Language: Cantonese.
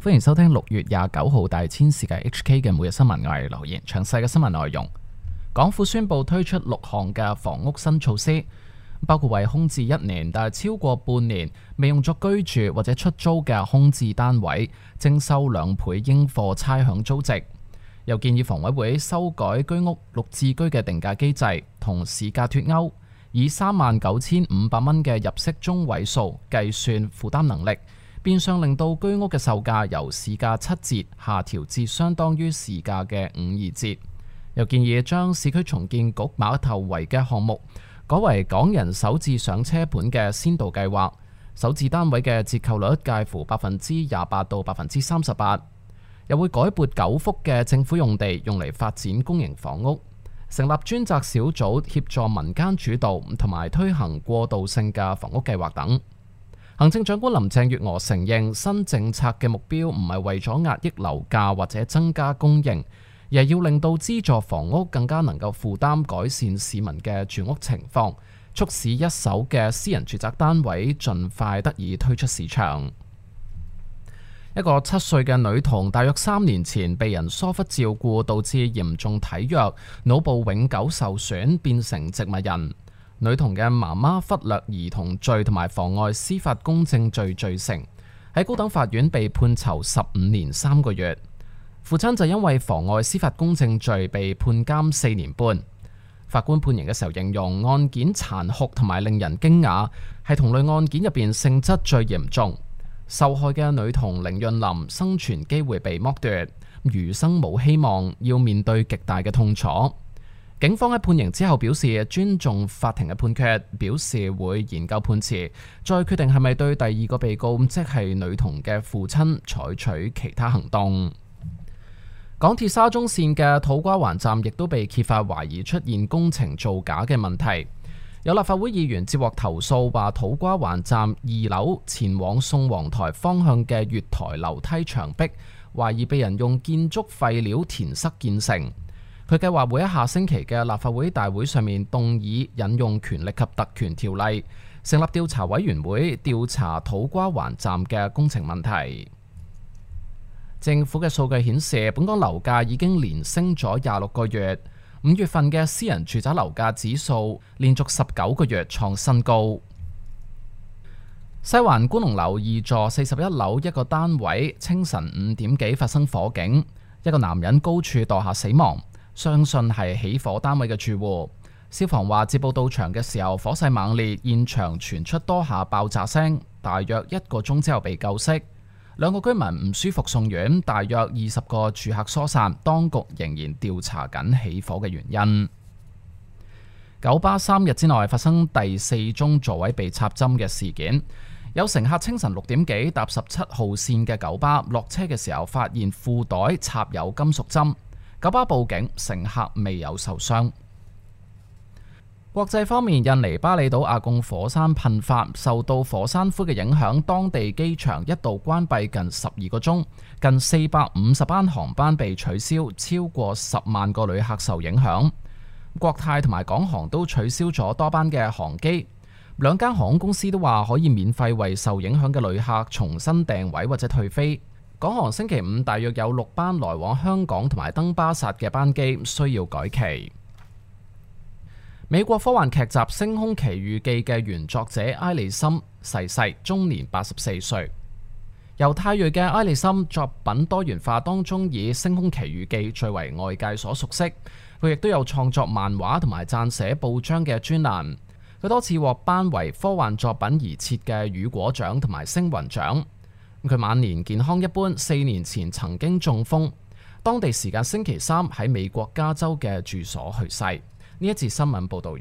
歡迎收聽6月29號大千世界 HK 嘅每日新聞，我係劉言。詳細嘅新聞內容，港府宣布推出6項嘅房屋新措施，包括為空置1年但係超過半年未用作居住或者出租嘅空置單位徵收2倍應課差餉租值，又建議房委會修改居屋綠置居嘅定價機制，同市價脫鈎，以39,500蚊嘅入息中位數計算負擔能力，變相令到居屋嘅售價由市價7折下調至相當於市價嘅52折。又建議將市區重建局馬頭圍嘅項目改為港人首置上車盤嘅先導計劃，首置單位嘅折扣率介乎28%到38%。又會改撥9幅嘅政府用地用嚟發展公營房屋，成立專責小組協助民間主導同埋推行過渡性嘅房屋計劃等。行政長官林鄭月娥承認新政策嘅目標唔係為咗壓抑樓價或者增加供應，而係要令到資助房屋更加能夠負擔改善市民嘅住屋情況，促使一手嘅私人住宅單位盡快得以推出市場。一個7歲嘅女童大約3年前被人疏忽照顧，導致嚴重體弱，腦部永久受損，變成植物人。女童嘅媽媽忽略兒童罪同埋妨礙司法公正罪罪成，喺高等法院被判囚15年3個月。父親就因為妨礙司法公正罪被判監4年半。法官判刑嘅時候形容案件殘酷同埋令人驚訝，係同類案件入邊性質最嚴重。受害嘅女童凌潤琳生存機會被剝奪，餘生冇希望，要面對極大嘅痛楚。警方喺判刑之後表示尊重法庭嘅判決，表示會研究判詞，再決定係咪對第2個被告，即係女童嘅父親採取其他行動。港鐵沙中線嘅土瓜灣站亦都被揭發懷疑出現工程造假嘅問題。有立法會議員接獲投訴，話土瓜灣站2樓前往宋皇臺方向嘅月台樓梯牆壁懷疑被人用建築廢料填塞建成。佢計劃會喺下星期嘅立法會大會上面動議引用權力及特權條例，成立調查委員會調查土瓜灣站嘅工程問題。政府嘅數據顯示，本港樓價已經連升咗26個月，5月份嘅私人住宅樓價指數連續19個月創新高。西環觀龍樓2座41樓一個單位，清晨5點幾發生火警，一個男人高處墮下死亡。相信係起火單位嘅住戶。消防話接報到場嘅時候，火勢猛烈，現場傳出多下爆炸聲，大約1個鐘之後被救熄。2個居民唔舒服送院，大約20個住客疏散，當局仍然調查緊起火嘅原因。九巴3日之內發生第4宗座位被插針嘅事件，有乘客清晨6點幾搭17號線嘅九巴落車嘅時候，發現褲袋插有金屬針。九巴報警，乘客未有受傷。國際方面，印尼巴厘島阿貢火山噴發，受到火山灰嘅影響，當地機場一度關閉近12個鐘，近450班航班被取消，超過10萬個旅客受影響。國泰同埋港航都取消咗多班嘅航機，兩間航空公司都話可以免費為受影響嘅旅客重新訂位或者退飛。港航星期5大約有6班來往香港同埋登巴薩嘅班機需要改期。美國科幻劇集《星空奇遇記》嘅原作者埃利森逝世，終年84歲。猶太裔嘅埃利森作品多元化當中，以《星空奇遇記》最為外界所熟悉。佢亦都有創作漫畫同埋撰寫報章嘅專欄。佢多次獲頒為科幻作品而設嘅雨果獎同埋星雲獎。佢晚年健康一般，4年前曾經中風，當地時間星期3喺美國加州嘅住所去世。呢一節新聞報道完。